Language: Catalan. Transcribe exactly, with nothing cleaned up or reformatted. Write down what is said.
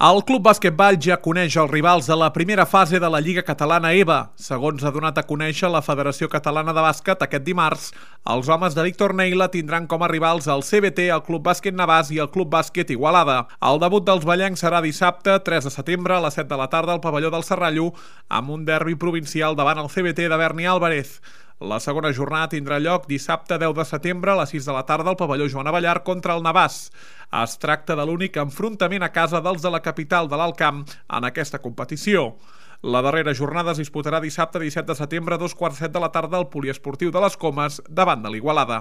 El Club Bàsquet Vall ja coneix els rivals de la primera fase de la Lliga Catalana E B A. Segons ha donat a conèixer la Federació Catalana de Bàsquet aquest dimarts, els homes de Víctor Neila tindran com a rivals el C B T, el Club Bàsquet Navàs i el Club Bàsquet Igualada. El debut dels ballencs serà dissabte, tres de setembre, a les set de la tarda al pavelló del Serrallo, amb un derbi provincial davant el C B T de Berni Álvarez. La segona jornada tindrà lloc dissabte deu de setembre a les sis de la tarda al pavelló Joan Abellar contra el Navàs. Es tracta de l'únic enfrontament a casa dels de la capital de l'Alt Camp en aquesta competició. La darrera jornada es disputarà dissabte disset de setembre a dos quarts set de la tarda al poliesportiu de les Comes davant de l'Igualada.